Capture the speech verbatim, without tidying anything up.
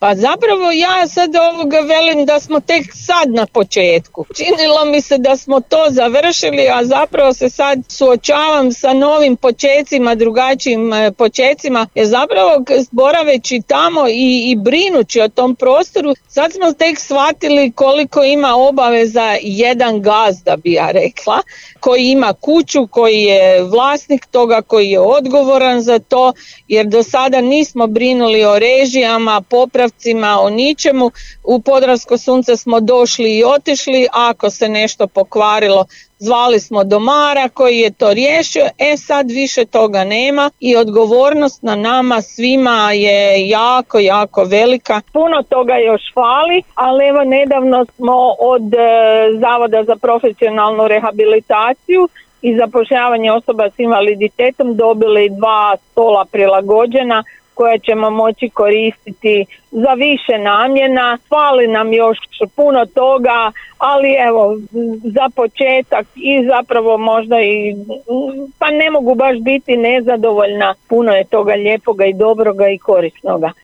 Pa zapravo ja sad ovoga velim da smo tek sad na početku. Činilo mi se da smo to završili, a zapravo se sad suočavam sa novim počecima, drugačijim počecima, jer zapravo boraveći tamo i, i brinući o tom prostoru, sad smo tek shvatili koliko ima obaveza jedan gazda, bi ja rekla, koji ima kuću, koji je vlasnik toga, koji je odgovoran za to, jer do sada nismo brinuli o režijama, popravcima, o ničemu. U Podravsko sunce smo došli i otišli, ako se nešto pokvarilo, zvali smo domara koji je to riješio, e sad više toga nema i odgovornost na nama svima je jako, jako velika. Puno toga još fali, ali evo nedavno smo od e, Zavoda za profesionalnu rehabilitaciju i zapošljavanje osoba s invaliditetom dobili dva stola prilagođena koja ćemo moći koristiti za više namjena. Fali nam još puno toga, ali evo za početak i zapravo možda i, pa ne mogu baš biti nezadovoljna, puno je toga lijepoga i dobroga i korisnoga.